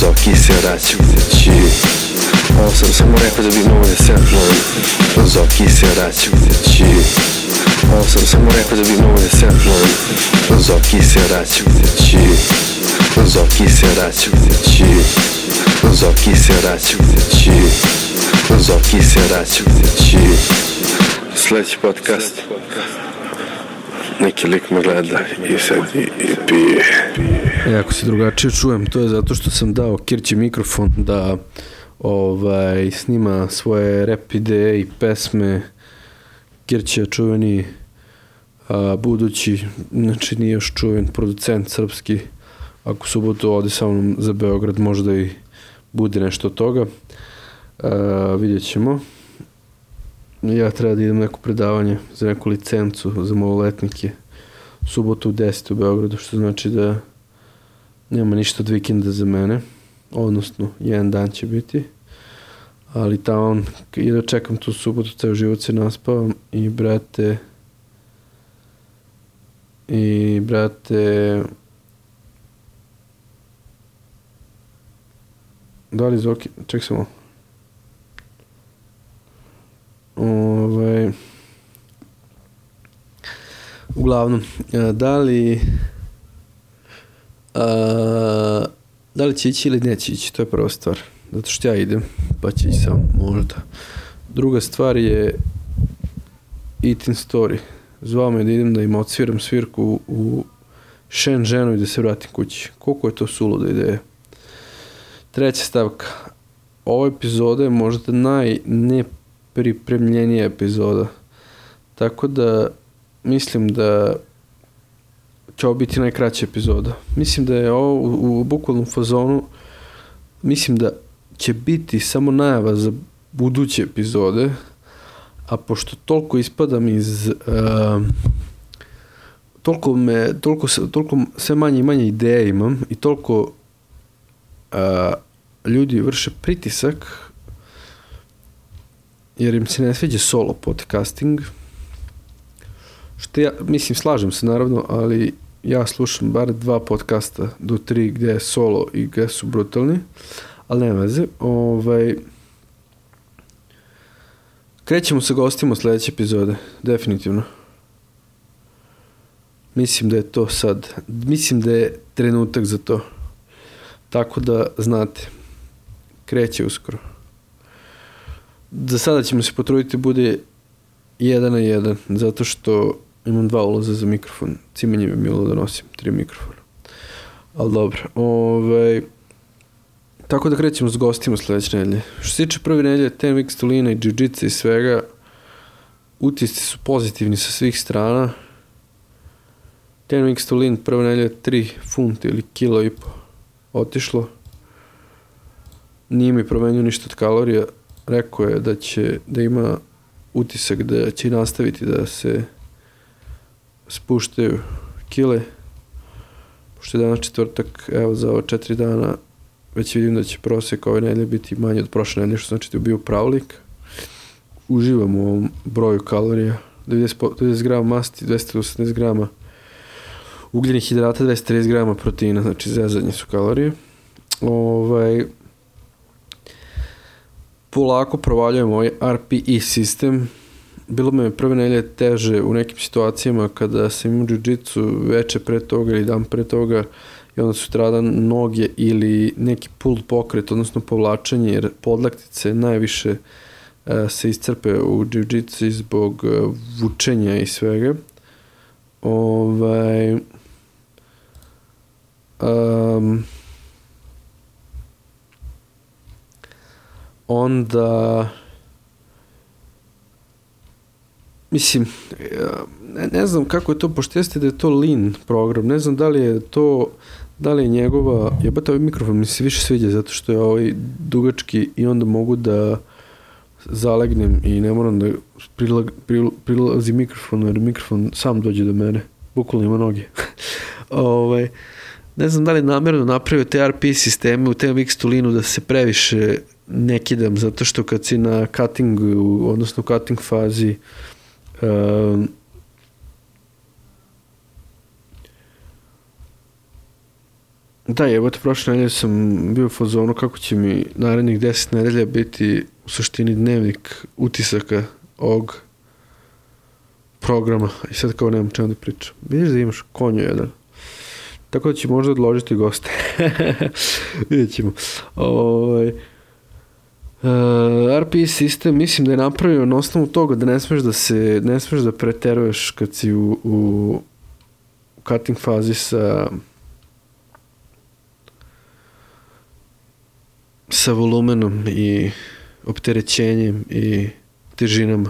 Zoki se vraćajući. Ovo sam samo rekao da bi mogo da semplujem. Zoki se vraćajući. Ovo sam samo rekao da bi mogo da semplujem. Zoki se vraćajući. Zoki se vraćajući. Zoki se vraćajući. Zoki se vraćajući. Sljedeći podcast. Neki lik me gleda i sad i pije. Ako se drugačije čujem, to je zato što sam dao Kirći mikrofon da snima svoje rap ideje i pesme. Kirć je čuveni budući, znači nije još čuven producent srpski. Ako subotu ode sa mnom za Beograd, možda i bude nešto od toga. Vidjet ćemo. Ja treba da idem neko predavanje za neku licencu za maloletnike subotu u 10 u Beogradu, što znači da nema ništa od vikenda za mene, odnosno jedan dan će biti, ali tamo i da čekam tu subotu, ceo život se naspavam i brate da li Zoki, ček samo uglavnom, da li će ići ili neće ići, to je prva stvar, zato što ja idem, pa će ići sam, možda. Druga stvar je Eating Story. Zvao me da idem da im odsviram svirku u Shenzhenu i da se vratim kući. Koliko je to suluda ideja? Treća stavka. Ova epizoda je možda najnepripremljenija epizoda. Tako da mislim da će ovo biti najkraća epizoda. Mislim da je ovo u bukvalnom fazonu, mislim da će biti samo najava za buduće epizode, a pošto toliko ispadam iz toliko sve manje i manje ideja imam i toliko ljudi vrše pritisak jer im se ne sviđa solo podcasting, što ja, mislim, slažem se naravno, ali ja slušam bar 2 podcasta do 3 gdje je solo i gdje su brutalni, ali nema veze. Krećemo sa gostima sljedeće epizode, definitivno. Mislim da je to sad, mislim da je trenutak za to. Tako da znate, kreće uskoro. Za sada ćemo se potruditi bude 1 na 1, zato što imam 2 ulaza za mikrofon. Cimanje mi bilo da nosim 3 mikrofona. Ali dobro. Tako da krećemo s gostima sljedeće nedelje. Što se tiče prve nedelje, TMX Tolina i Jiu-Jitsu i svega, utisci su pozitivni sa svih strana. TMX Tolin prve nedelje 3 funta ili kilo i po otišlo. Nije mi promenio ništa od kalorija. Rekao je da ima utisak da će nastaviti da se spuštaju kile. Pošto je danas četvrtak, evo za ova 4 dana već vidim da će prosjek ove nedelje biti manje od prošle nedelje, što znači da je bio pravlik. Uživam u ovom broju kalorija. 90 grama masti, 280 grama ugljenih hidrata, 230 grama proteina, znači zezanje su kalorije. Polako provaljujem ovaj RPE sistem. Bilo me prve nedelje teže u nekim situacijama kada sam imao jiu-jitsu veče pre toga ili dan pre toga i onda sutradan noge ili neki pull pokret, odnosno povlačenje, jer podlaktice najviše se iscrpe u jiu-jitsu zbog vučenja i svega. Onda mislim, ne znam kako je to, pošto jeste da je to lean program, ne znam da li je njegova, jebate ovaj mikrofon mi se više sviđa zato što je ovaj dugački i onda mogu da zalegnem i ne moram da prilazi mikrofon, jer mikrofon sam dođe do mene, bukvalno ima noge. Ne znam da li namjerno napravio te RP sisteme u TMX Tolinu da se previše ne kidam, zato što kad si na cuttingu, odnosno cutting fazi, Da, jebote, prošle nedelje sam bio u fazonu kako će mi narednih 10 nedelja biti u suštini dnevnik utisaka ovog programa. I sad kao nemam čemu da pričam. Vidiš da imaš konju jedan. Tako da će možda odložiti goste. Vidjet ćemo. RPE sistem mislim da je napravio na osnovu toga da ne smeš da preteruješ kad si u cutting fazi sa volumenom i opterećenjem i težinama.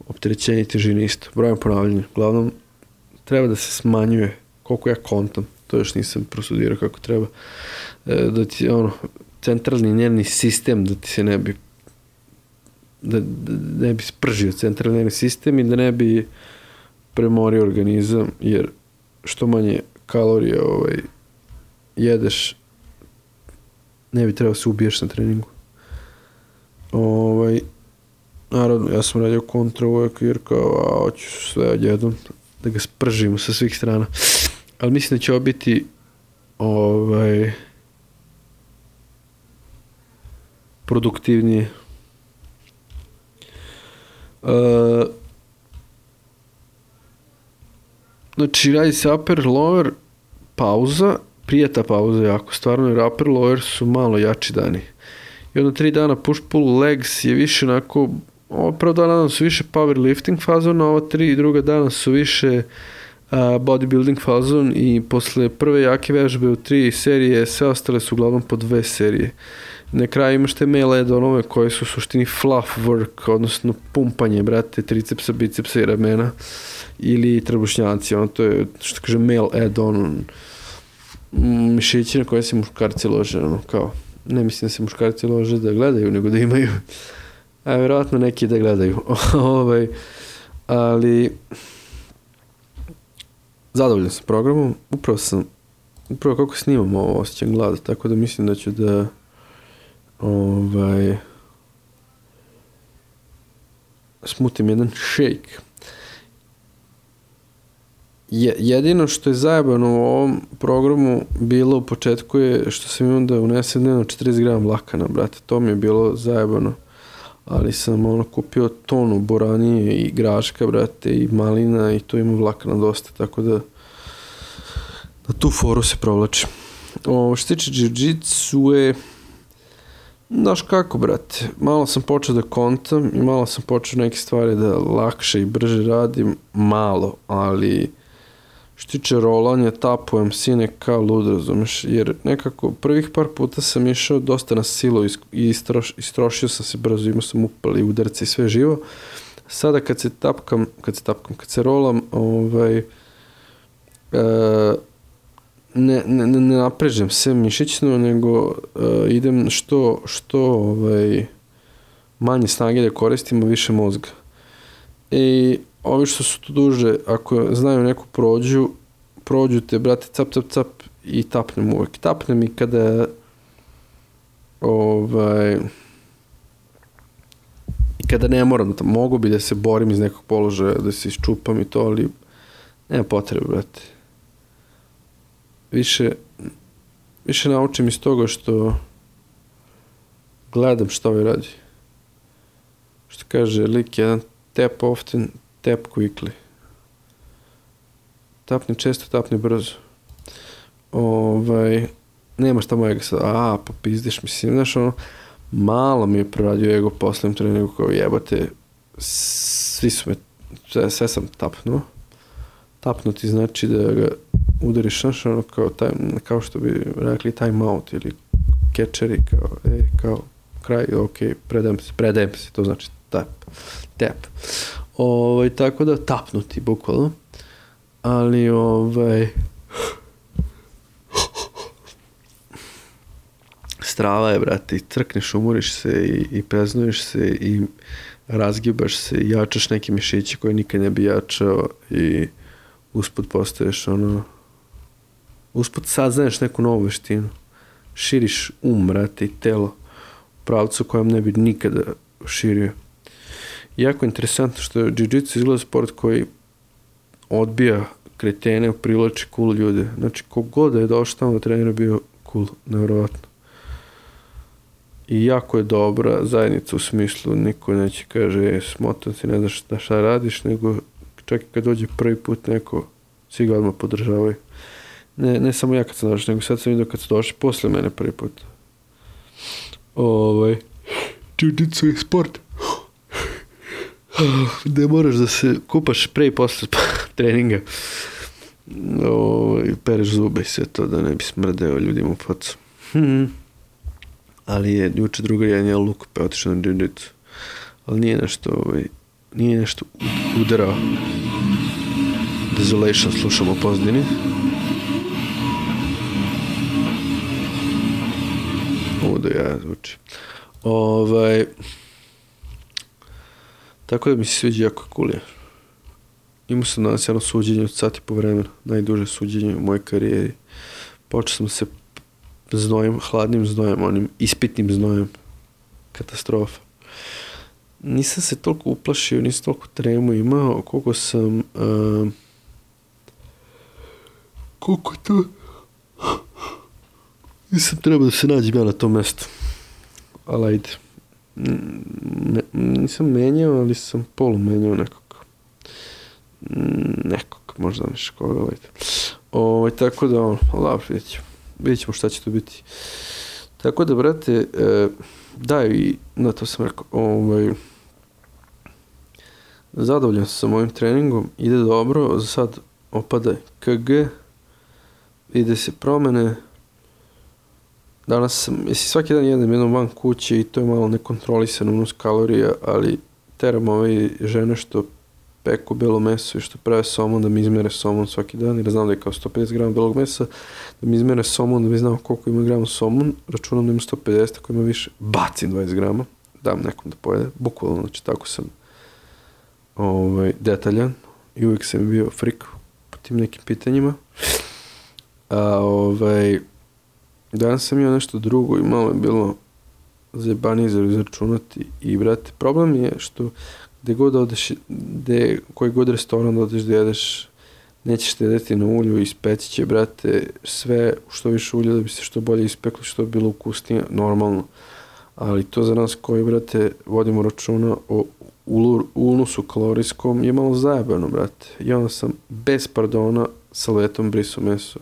Opterećenje i težine isto. Brojem ponavljanja. Uglavnom, treba da se smanjuje koliko ja kontam. To još nisam prosudirao kako treba. Da ti, centralni nervni sistem da ti se ne bi ne bi spržio centralni nervni sistem i da ne bi premorio organizam, jer što manje kalorija jedeš, ne bi trebao se ubiješ na treningu. Naravno, ja sam radio kontra uvek jer kao, hoću sve odjednom da ga spržimo sa svih strana. Ali mislim da će ovo biti produktivnije. Znači, radi se upper, lower, pauza, prijeta pauza jako, stvarno, jer upper, lower su malo jači dani. I onda 3 dana push, pull, legs je više onako, ovo prvo dana su više powerlifting fazon, a ova 3 druga dana su više bodybuilding fazon i posle prve jake vežbe u 3 serije, sve ostale su uglavnom po 2 serije. Na kraju imaš te male add-onove koji su u suštini fluff work, odnosno pumpanje, brate, tricepsa, bicepsa i ramena ili trbušnjaci, to je, što kaže, male add-on, mišići na koje se muškarci lože, kao, ne mislim da se muškarci lože da gledaju, nego da imaju, a vjerojatno neki da gledaju, ali zadovoljan sam programom, upravo kako snimam ovo osjećam glada, tako da mislim da ću da smutim jedan shake. Jedino što je zajebano u ovom programu bilo u početku je što sam imao da unesem dnevno 40 grama vlakana, brate, to mi je bilo zajebano, ali sam kupio tonu boranije i graška, brate, i malina i tu ima vlakana dosta, tako da na tu foru se provlačim. Što se tiče jiu-jitsu je, znaš kako, brate, malo sam počeo da kontam i malo sam počeo neke stvari da lakše i brže radim, malo, ali što tiče rolanja, tapujem sine kao lud, razumeš, jer nekako prvih par puta sam išao dosta na silu i istrošio sam se brzo, imao sam upali udarce i sve živo. Sada kad se rolam, ne naprežem se mišićno, nego idem što manje snage da koristimo, više mozga. I ovi što su tu duže, ako znaju neku prođu te, brate, cap i tapnem uvek. Tapnem i kada i kada ne moram, mogu bi da se borim iz nekog položaja, da se iščupam i to, ali nema potrebe, brate. Više naučim iz toga što gledam što ovaj radi. Što kaže lik jedan, tap often, tap quickly. Tapni često, tapni brzo. Nema šta mojega sad, popizdiš, mislim, znaš, malo mi je proradio ego poslednjem treningu, kao jebate, sve sam tapnuo. Tapnuti znači da ga udariš, znaš, kao što bi rekli time out ili catcheri, kao kraj, predajem se, to znači tap. Tako da tapnuti, bukvalno. Ali, strava je, brate, i crkneš, umoriš se i preznuješ se i razgibaš se i jačaš neke mišiće koje nikad ne bi jačao i usput postaješ usput saznaješ neku novu veštinu. Širiš brate, i telo u pravcu kojem ne bi nikada širio. Jako interesantno što jiu-jitsu izgleda sport koji odbija kretene, privlači cool ljude. Znači, kogod da je došao tamo da trenira bio cool, nevjerovatno. I jako je dobra zajednica u smislu, niko neće kaže, smotan si, ne znaš šta radiš, nego čak i kad dođe prvi put neko, svi ga odmah podržavaju. Ne samo ja kad sam došao, nego sad sam vidio kad sam došao posle mene prvi put. Jiu-jitsu je sport. Gde moraš da se kupaš pre i posle treninga. Pereš zube i sve to da ne bi smrdeo ljudima u facu. Ali je juče druga jedan je luk pa otišao na jiu-jitsu. Ali nije nešto udarao. Desolation slušamo u pozadini. Ovo da ja zvuči. Tako da mi se sviđa jako cool je. Imao sam danas jedno suđenje od sati po vremena. Najduže suđenje u mojoj karijeri. Počeo sam se znojem, hladnim znojem, onim ispitnim znojem. Katastrofa. Nisam se toliko uplašio, nisam toliko tremu imao, koliko sam... koliko to... Nisam trebao da se nađem ja na tom mestu. Ali ajde. Nisam menjao, ali sam polu menjao nekog, možda neš koga, ajde. Tako da, dobro, vidjet ćemo šta će to biti. Tako da, brate, daj i, na to sam rekao, zadovoljan sam sa mojim treningom, ide dobro, za sad opada KG, ide se promene. Danas sam, svaki dan jednom van kuće i to je malo nekontrolisan unos kalorija, ali teram ove žene što peku belo meso i što prave somon da mi izmere somon svaki dan, jer znam da je kao 150 grama belog mesa, da mi izmere somon, da mi znam koliko ima grama somon, računam da ima 150, ako ima više, bacim 20 grama, dam nekom da pojede, bukvalno, znači tako sam detaljan i uvijek sam bio frik po tim nekim pitanjima, danas sam imao nešto drugo i malo je bilo zajebanije za izračunati i, brate, problem je što gde god odeš, koji god restoran da odeš da jedeš, nećeš štedeti na ulju, ispeći će, brate, sve što više ulja da bi se što bolje ispeklo, što bi bilo ukusnije, normalno. Ali to za nas koji, brate, vodimo računa o unosu kalorijskom je malo zajebano, brate. I onda sam bez pardona salvetom brisao meso,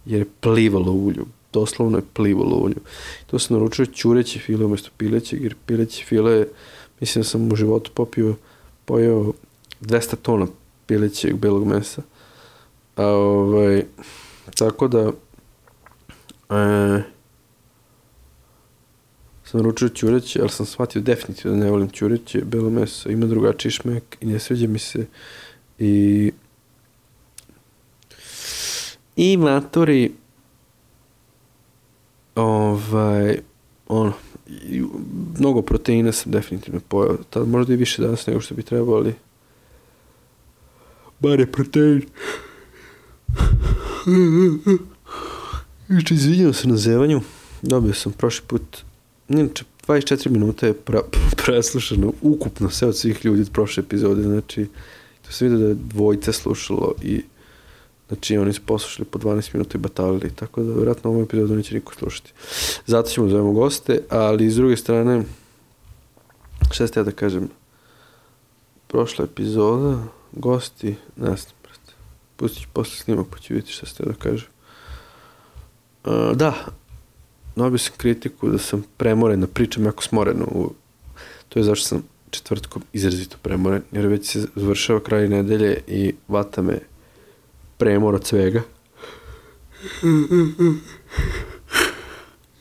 jer je plivalo ulju. Doslovno je plivalo ulju. To sam naručio ćureće file umjesto pilećeg, jer pileće file, mislim da sam u životu pojeo 200 tona pilećeg belog mesa. Tako da sam naručio ćureće, ali sam shvatio definitivno da ne volim ćureće, belo meso, ima drugačiji šmek i ne sviđa mi se i matori mnogo proteina sam definitivno pojao. Tad možda i više danas nego što bi trebali. Bar je protein. Izvinjam se na zevanju. Dobio sam prošli put. Inače, 24 minuta je preslušano ukupno sve od svih ljudi od prošle epizode. Znači, to sam vidio da je dvojica slušalo i znači oni su poslušali po 12 minuta i batalili, tako da vjerojatno ovu epizodu neće niko slušati. Zato ćemo zovemo goste, ali s druge strane, šta ste ja da kažem, prošla epizoda, gosti, ne znam, brate, pustit ću posle snimak pa ću vidjeti šta ste ja da kažem. Da, dobio sam kritiku da sam premoren, da pričam jako smoreno, to je zašto sam četvrtkom izrazito premoren, jer već se završava kraj nedelje i vata me premor od svega.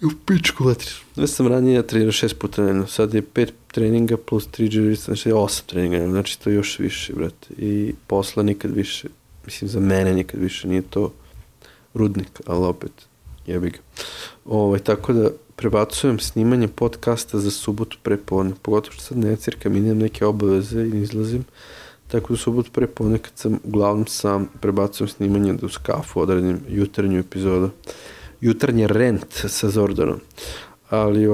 U pičku vatri. Ja sam ranije trenirao 6 puta dnevno, sad je 5 treninga plus 3 džirica, znači 8 treninga, znači to još više, brate. I posla nikad više, mislim za mene nikad više, nije to rudnik, ali opet jebi ga. Tako da prebacujem snimanje podcasta za subotu prepodne, pogotovo što sad ne cirkam, imam neke obaveze i ne izlazim. Tako da subotu prepodne kad sam uglavnom sam prebacujem snimanje da uz kafu odredim jutarnju epizodu. Jutarnji rent sa Zordanom. Ali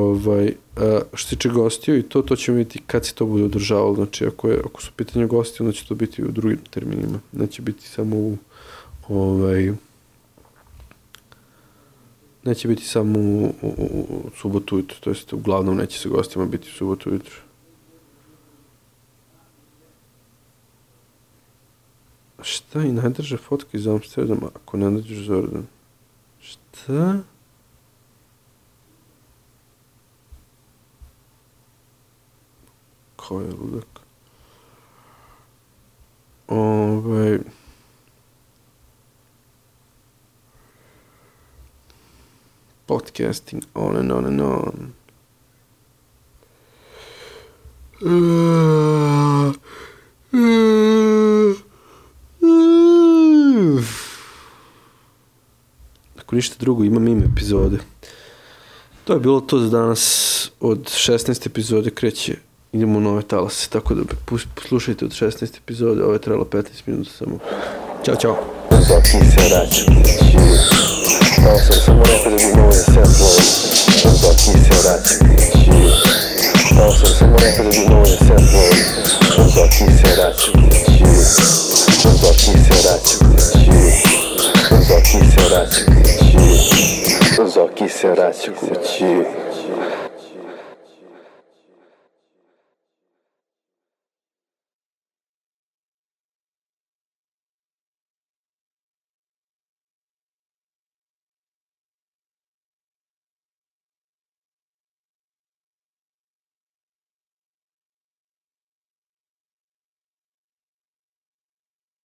što se tiče gostiju i to ćemo vidjeti kad se to bude održavalo. Znači ako su pitanje gosti, onda će to biti u drugim terminima. Neće biti samo u neće biti samo u subotu ujutru, to jest uglavnom neće sa gostima biti u subotu ujutru. Šta i najdrža fotka iz Amsterdama ako ne nađeš Zordan? Šta? Ko je ludak? Podcasting on and on and on. Ako ništa drugo, imam ime epizode. To je bilo to za danas. Od 16. epizode kreće, idemo u nove talase, tako da poslušajte od 16. epizode. Ovo je trebalo 15 minuta samo. Ćao, čao. Zoki se vraća kući. Samo rekao da bi mogo da se upload. Zoki se vraća kući. Samo rekao da bi mogo da se upload. Zoki se vraća kući. Zoki se vraća kući. Zoki se vraća kući. Zoki se vraća kući.